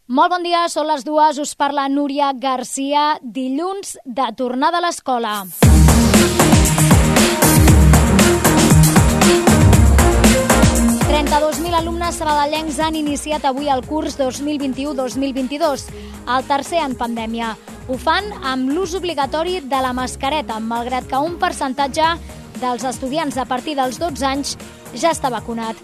Molt bon dia, són les 2, us parla Núria Garcia, dilluns de tornada a l'escola. Alumnes sabadellencs han iniciat avui el curs 2021-2022, el tercer en pandèmia. Ho fan amb l'ús obligatori de la mascareta, malgrat que un percentatge dels estudiants a partir dels 12 anys ja està vacunat.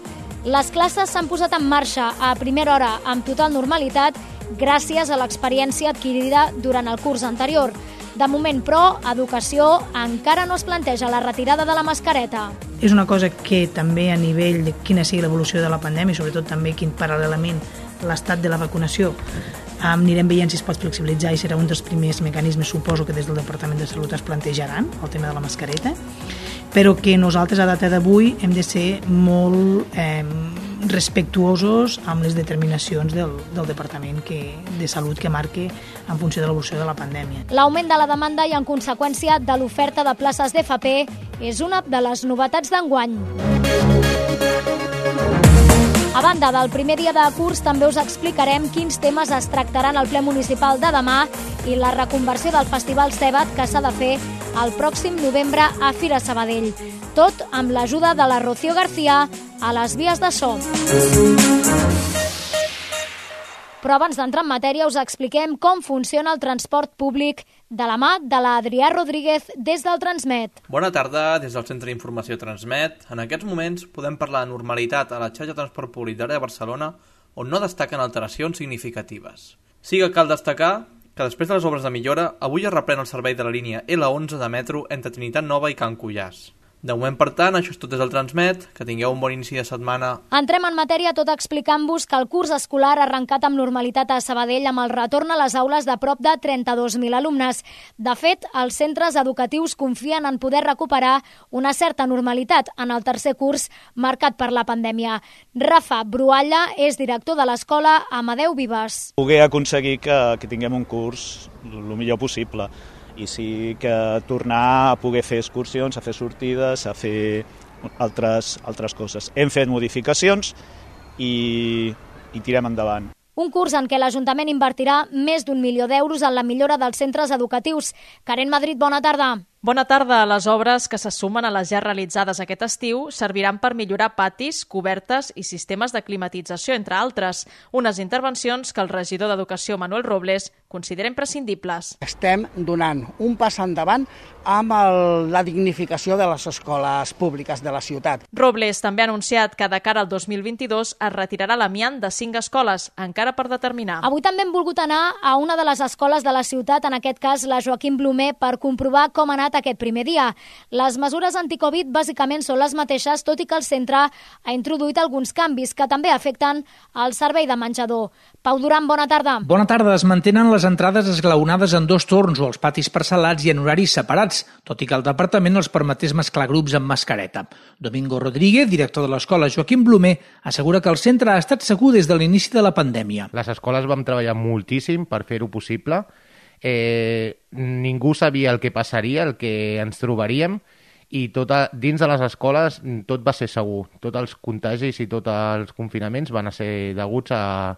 Les classes s'han posat en marxa a primera hora amb total normalitat gràcies a l'experiència adquirida durant el curs anterior. De moment, però, Educació encara no es planteja la retirada de la mascareta. És una cosa que també a nivell de quina sigui l'evolució de la pandèmia i sobretot també quin paral·lelament l'estat de la vacunació anirem veient si es pot flexibilitzar i serà un dels primers mecanismes, suposo que des del Departament de Salut es plantejaran el tema de la mascareta, però que nosaltres a data d'avui hem de ser molt respectuosos amb les determinacions del Departament de Salut que marque en funció de l'evolució de la pandèmia. L'augment de la demanda i en conseqüència de l'oferta de places d'FP és una de les novetats d'enguany. A banda del primer dia de curs, també us explicarem quins temes es tractaran al ple municipal de demà i la reconversió del Festival Cebat que s'ha de fer el pròxim novembre a Fira Sabadell. Tot amb l'ajuda de la Rocío García a les vies de so. Però abans d'entrar en matèria us expliquem com funciona el transport públic de la mà de l'Adrià Rodríguez des del Transmet. Bona tarda, des del Centre d'Informació Transmet. En aquests moments podem parlar de normalitat a la xarxa de transport públic d'àrea de Barcelona, on no destaquen alteracions significatives. Sí que cal destacar que després de les obres de millora, avui es reprèn el servei de la línia L11 de metro entre Trinitat Nova i Can Cullàs. De moment, per tant, això és tot des del Transmet. Que tingueu un bon inici de setmana. Entrem en matèria tot explicant-vos que el curs escolar ha arrencat amb normalitat a Sabadell amb el retorn a les aules de prop de 32.000 alumnes. De fet, els centres educatius confien en poder recuperar una certa normalitat en el tercer curs marcat per la pandèmia. Rafa Brualla és director de l'escola Amadeu Vives. Poder aconseguir que tinguem un curs el millor possible. I sí que tornar a poder fer excursions, a fer sortides, a fer altres coses. Hem fet modificacions i tirem endavant. Un curs en què l'Ajuntament invertirà més d'1 milió d'euros en la millora dels centres educatius. Karen Madrid, bona tarda. Bona tarda. Les obres que se sumen a les ja realitzades aquest estiu serviran per millorar patis, cobertes i sistemes de climatització, entre altres. Unes intervencions que el regidor d'Educació, Manuel Robles, considera imprescindibles. Estem donant un pas endavant amb la dignificació de les escoles públiques de la ciutat. Robles també ha anunciat que de cara al 2022 es retirarà l'amiant de 5 escoles, encara per determinar. Avui també hem volgut anar a una de les escoles de la ciutat, en aquest cas la Joaquim Blumer, per comprovar com ha anat aquest primer dia. Les mesures anticovid bàsicament són les mateixes, tot i que el centre ha introduït alguns canvis que també afecten el servei de menjador. Pau Duran, bona tarda. Bona tarda. Es mantenen les entrades esglaonades en 2 torns o els patis parcel·lats i en horaris separats, tot i que el departament els permetés mesclar grups amb mascareta. Domingo Rodríguez, director de l'escola Joaquim Blumer, assegura que el centre ha estat segur des de l'inici de la pandèmia. Les escoles vam treballar moltíssim per fer-ho possible. Ningú sabia el que passaria, el que ens trobaríem, i dins de les escoles tot va ser segur. Tots els contagis i tots els confinaments van ser deguts a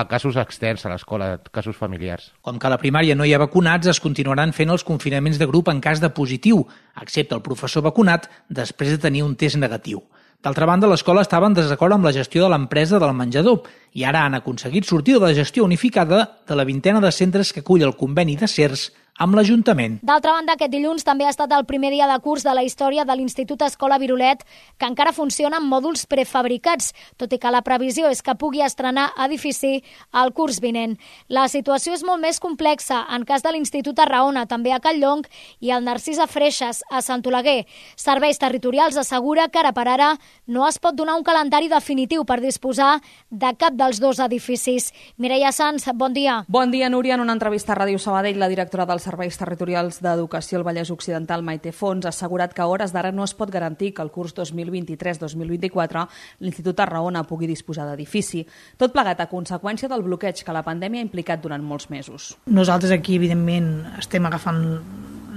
casos externs a l'escola, casos familiars. Com que a la primària no hi ha vacunats, es continuaran fent els confinaments de grup en cas de positiu, excepte el professor vacunat després de tenir un test negatiu. D'altra banda, l'escola estava en desacord amb la gestió de l'empresa del menjador i ara han aconseguit sortir de la gestió unificada de la 20ena de centres que acull el conveni de CERS amb l'Ajuntament. D'altra banda, aquest dilluns també ha estat el primer dia de curs de la història de l'Institut Escola Virolet, que encara funciona amb mòduls prefabricats, tot i que la previsió és que pugui estrenar edifici el curs vinent. La situació és molt més complexa en cas de l'Institut Arraona, també a Calllonc, i el Narcís a Freixes, a Sant Oleguer. Serveis Territorials assegura que ara per ara no es pot donar un calendari definitiu per disposar de cap dels 2 edificis. Mireia Sanz, bon dia. Bon dia, Núria. En una entrevista a Ràdio Sabadell, la directora dels Serveis Territorials d'Educació al Vallès Occidental, Maite Fons, ha assegurat que a hores d'ara no es pot garantir que el curs 2023-2024 l'Institut Arraona pugui disposar d'edifici. Tot plegat a conseqüència del bloqueig que la pandèmia ha implicat durant molts mesos. Nosaltres aquí, evidentment, estem agafant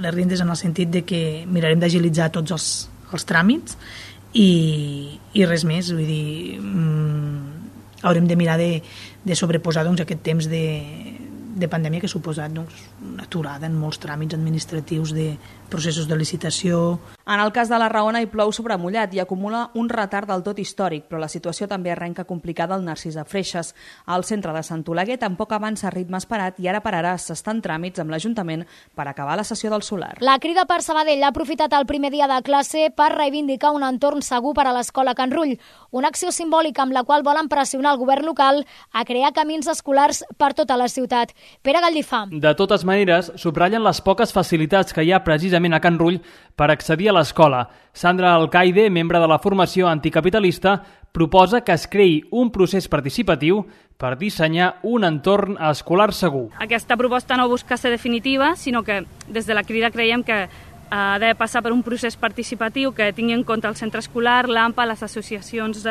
les rindes en el sentit de que mirarem d'agilitzar tots els tràmits i res més. Vull dir, haurem de mirar de sobreposar aquest temps de pandèmia que ha suposat una aturada en molts tràmits administratius de processos de licitació. En el cas de la Raona hi plou sobre mullat i acumula un retard del tot històric, però la situació també arrenca complicada al Narcís de Freixes. Al centre de Sant Oleguer tampoc avança a ritme esperat i ara per ara s'estan tràmits amb l'Ajuntament per acabar la sessió del solar. La Crida per Sabadell ha aprofitat el primer dia de classe per reivindicar un entorn segur per a l'escola Can Rull, una acció simbòlica amb la qual volen pressionar el govern local a crear camins escolars per tota la ciutat. Pere Gallifà. De totes maneres, subratllen les poques facilitats que hi ha precisament a Can Rull per accedir a l'escola. Sandra Alcaide, membre de la formació anticapitalista, proposa que es creï un procés participatiu per dissenyar un entorn escolar segur. Aquesta proposta no busca ser definitiva, sinó que des de la Crida creiem que ha de passar per un procés participatiu que tingui en compte el centre escolar, l'AMPA, les associacions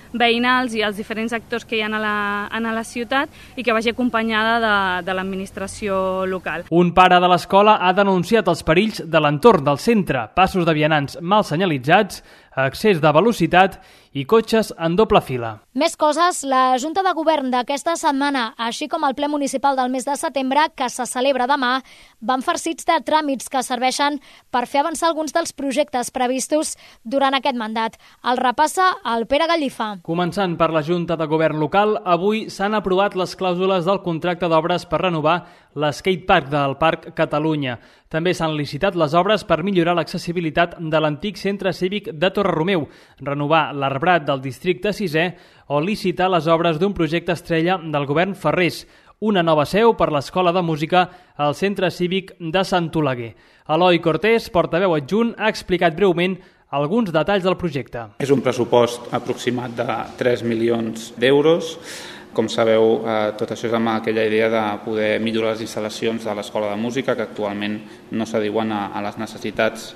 veïnals i els diferents actors que hi ha a la ciutat i que vagi acompanyada de l'administració local. Un pare de l'escola ha denunciat els perills de l'entorn del centre, passos de vianants mal senyalitzats, excés de velocitat i cotxes en doble fila. Més coses, la Junta de Govern d'aquesta setmana, així com el ple municipal del mes de setembre, que se celebra demà, van farcits de tràmits que serveixen per fer avançar alguns dels projectes previstos durant aquest mandat. El repassa el Pere Gallifà. Començant per la Junta de Govern local, avui s'han aprovat les clàusules del contracte d'obres per renovar l'skatepark del Parc Catalunya. També s'han licitat les obres per millorar l'accessibilitat de l'antic centre cívic de Torre-Romeu, renovar l'arbrat del districte 6è o licitar les obres d'un projecte estrella del govern Ferrés, una nova seu per l'Escola de Música al Centre Cívic de Sant Oleguer. Eloi Cortés, portaveu adjunt, ha explicat breument alguns detalls del projecte. És un pressupost aproximat de 3 milions d'euros. Com sabeu, tot això és amb aquella idea de poder millorar les instal·lacions de l'Escola de Música, que actualment no s'adiuen a les necessitats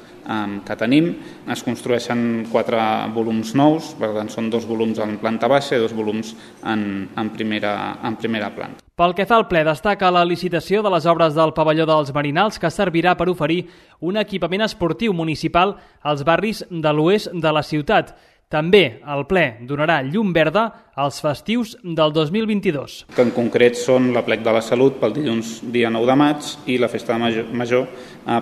que tenim. Es construeixen 4 volums nous, per tant són 2 volums en planta baixa i 2 volums en primera planta. Pel que fa al ple, destaca la licitació de les obres del pavelló dels Marinals, que servirà per oferir un equipament esportiu municipal als barris de l'oest de la ciutat. També el ple donarà llum verda als festius del 2022. Que en concret són l'Aplec de la Salut pel dilluns dia 9 de maig i la Festa Major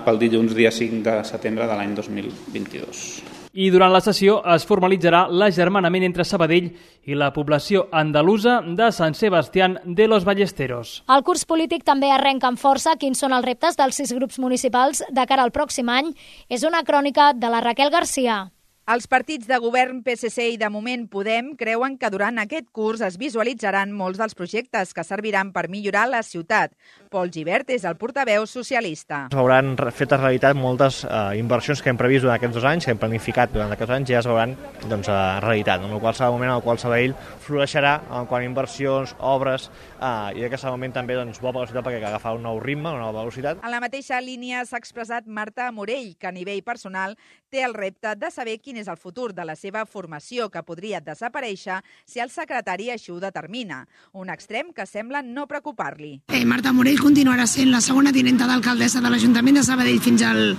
pel dilluns dia 5 de setembre de l'any 2022. I durant la sessió es formalitzarà l'agermanament entre Sabadell i la població andalusa de Sant Sebastián de los Ballesteros. El curs polític també arrenca amb força. Quins són els reptes dels 6 grups municipals de cara al pròxim any? És una crònica de la Raquel Garcia. Els partits de govern PSC i de moment Podem creuen que durant aquest curs es visualitzaran molts dels projectes que serviran per millorar la ciutat. Pol Gibert és el portaveu socialista. S'hauran fet realitat moltes inversions que hem previst durant aquests 2 anys, que hem planificat durant aquests anys, ja es veuran realitat, en el qual serà el moment en el qual Sabadell floreixerà en quant a inversions, obres, i aquest moment també bo per la ciutat perquè agafarà un nou ritme, una nova velocitat. En la mateixa línia s'ha expressat Marta Morell, que a nivell personal té el repte de saber quin és el futur de la seva formació, que podria desaparèixer si el secretari així ho determina. Un extrem que sembla no preocupar-li. Marta Morell continuarà sent la segona tinenta d'alcaldessa de l'Ajuntament de Sabadell fins al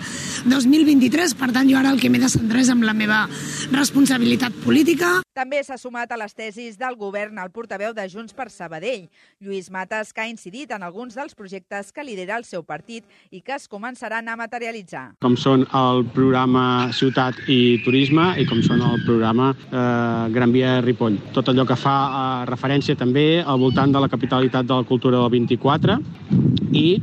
2023, per tant jo ara el que m'he de centrar és amb la meva responsabilitat política. També s'ha sumat a les tesis del govern el portaveu de Junts per Sabadell, Lluís Matas, que ha incidit en alguns dels projectes que lidera el seu partit i que es començaran a materialitzar. Com són el programa Ciutat i Turisme i com són el programa Gran Via de Ripoll. Tot allò que fa referència també al voltant de la capitalitat de la cultura del 24 i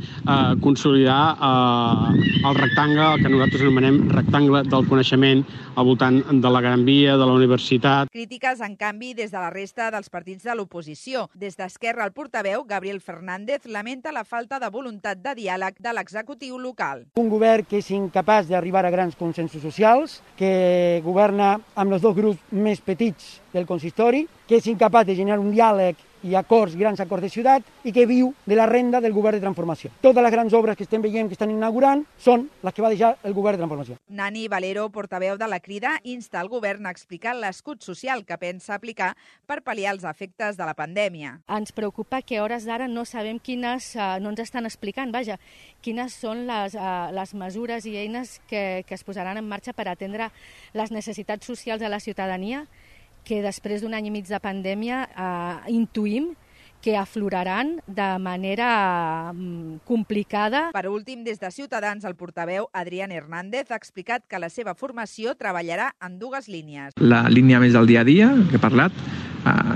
consolidar el rectangle, el que nosaltres anomenem rectangle del coneixement al voltant de la Gran Via, de la universitat. Crítiques, en canvi, des de la resta dels partits de l'oposició. Des d'Esquerra, el portaveu, Gabriel Fernández, lamenta la falta de voluntat de diàleg de l'executiu local. Un govern que és incapaç d'arribar a grans consensos socials, que governa amb els 2 grups més petits del consistori, que és incapaç de generar un diàleg i grans acords de ciutat i que viu de la renda del govern de transformació. Totes les grans obres que estem veient que estan inaugurant són les que va deixar el govern de transformació. Nani Valero, portaveu de la Crida, insta el govern a explicar l'escut social que pensa aplicar per pal·liar els efectes de la pandèmia. Ens preocupa que a hores d'ara no sabem no ens estan explicant, quines són les mesures i eines que es posaran en marxa per atendre les necessitats socials de la ciutadania, que després d'un any i mig de pandèmia intuïm que afloraran de manera complicada. Per últim, des de Ciutadans, el portaveu Adrián Hernández ha explicat que la seva formació treballarà en dues línies. La línia més del dia a dia, que he parlat,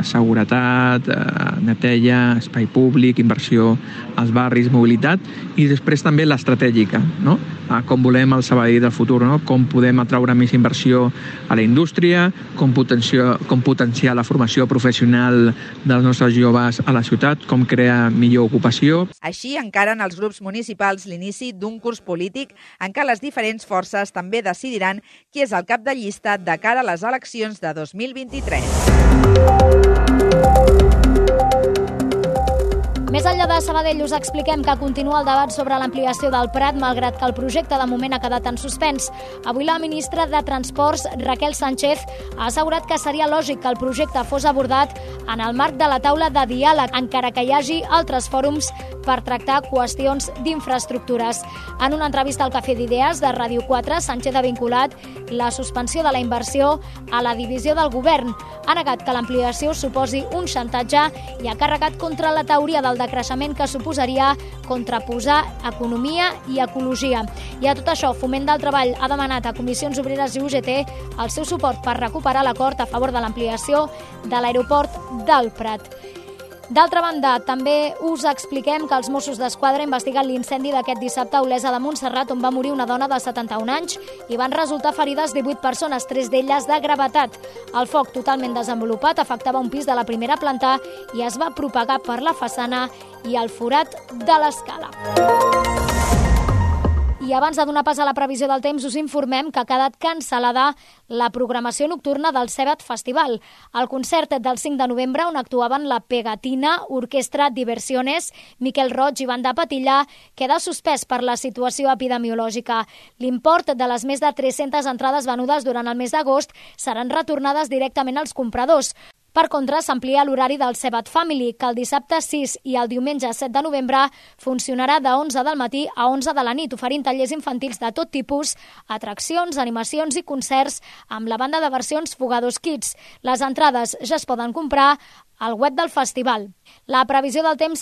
seguretat, neteja, espai públic, inversió als barris, mobilitat, i després també l'estratègica, no? Com volem el Sabadell del futur, no? Com podem atraure més inversió a la indústria, com potenciar la formació professional dels nostres joves a la ciutat, com crear millor ocupació. Així encaren els grups municipals l'inici d'un curs polític en què les diferents forces també decidiran qui és el cap de llista de cara a les eleccions de 2023. Més enllà de Sabadell, us expliquem que continua el debat sobre l'ampliació del Prat, malgrat que el projecte de moment ha quedat en suspens. Avui la ministra de Transports, Raquel Sánchez, ha assegurat que seria lògic que el projecte fos abordat en el marc de la taula de diàleg, encara que hi hagi altres fòrums per tractar qüestions d'infraestructures. En una entrevista al Cafè d'Idees de Ràdio 4, Sánchez ha vinculat la suspensió de la inversió a la divisió del govern. Ha negat que l'ampliació suposi un xantatge i ha carregat contra la teoria del decreixement que suposaria contraposar economia i ecologia. I a tot això, Foment del Treball ha demanat a Comissions Obreres i UGT el seu suport per recuperar l'acord a favor de l'ampliació de l'aeroport del Prat. D'altra banda, també us expliquem que els Mossos d'Esquadra investiguen l'incendi d'aquest dissabte a Olesa de Montserrat, on va morir una dona de 71 anys i van resultar ferides 18 persones, 3 d'elles de gravetat. El foc, totalment desenvolupat, afectava un pis de la primera planta i es va propagar per la façana i el forat de l'escala. I abans de donar pas a la previsió del temps, us informem que ha quedat cancel·lada la programació nocturna del Sebat Festival. El concert del 5 de novembre, on actuaven la Pegatina, Orquestra Diversiones, Miquel Roig i Banda Patilla, queda suspès per la situació epidemiològica. L'import de les més de 300 entrades venudes durant el mes d'agost seran retornades directament als compradors. Per contra, s'amplia l'horari del Sebat Family, que el dissabte 6 i el diumenge 7 de novembre funcionarà de 11 del matí a 11 de la nit, oferint tallers infantils de tot tipus, atraccions, animacions i concerts amb la banda de versions Fugados Kids. Les entrades ja es poden comprar al web del festival. La previsió del temps.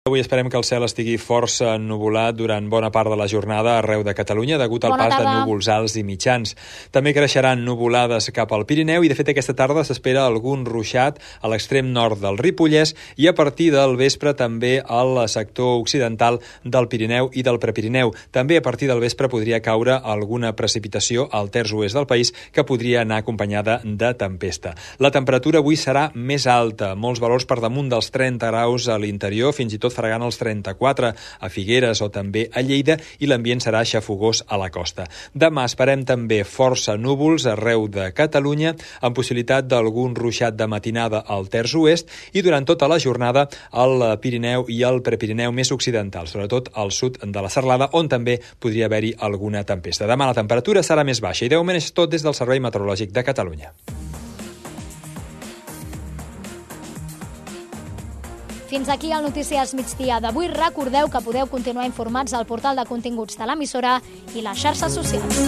Avui esperem que el cel estigui força ennuvolat durant bona part de la jornada arreu de Catalunya degut al pas de núvols alts i mitjans. També creixeran nuvolades cap al Pirineu i, de fet, aquesta tarda s'espera algun ruixat a l'extrem nord del Ripollès i a partir del vespre també al sector occidental del Pirineu i del Prepirineu. També a partir del vespre podria caure alguna precipitació al terç oest del país que podria anar acompanyada de tempesta. La temperatura avui serà més alta, molts valors per damunt dels 30 graus a l'interior, fins i tot fregant els 34 a Figueres o també a Lleida, i l'ambient serà xafogós a la costa. Demà esperem també força núvols arreu de Catalunya, amb possibilitat d'algun ruixat de matinada al terç oest i durant tota la jornada al Pirineu i al Prepirineu més occidental, sobretot al sud de la Serlada, on també podria haver-hi alguna tempesta. Demà la temperatura serà més baixa i de moment és tot des del Servei Meteorològic de Catalunya. Fins aquí el Notícies Migdia d'avui. Recordeu que podeu continuar informats al portal de continguts de l'emissora i les xarxes socials.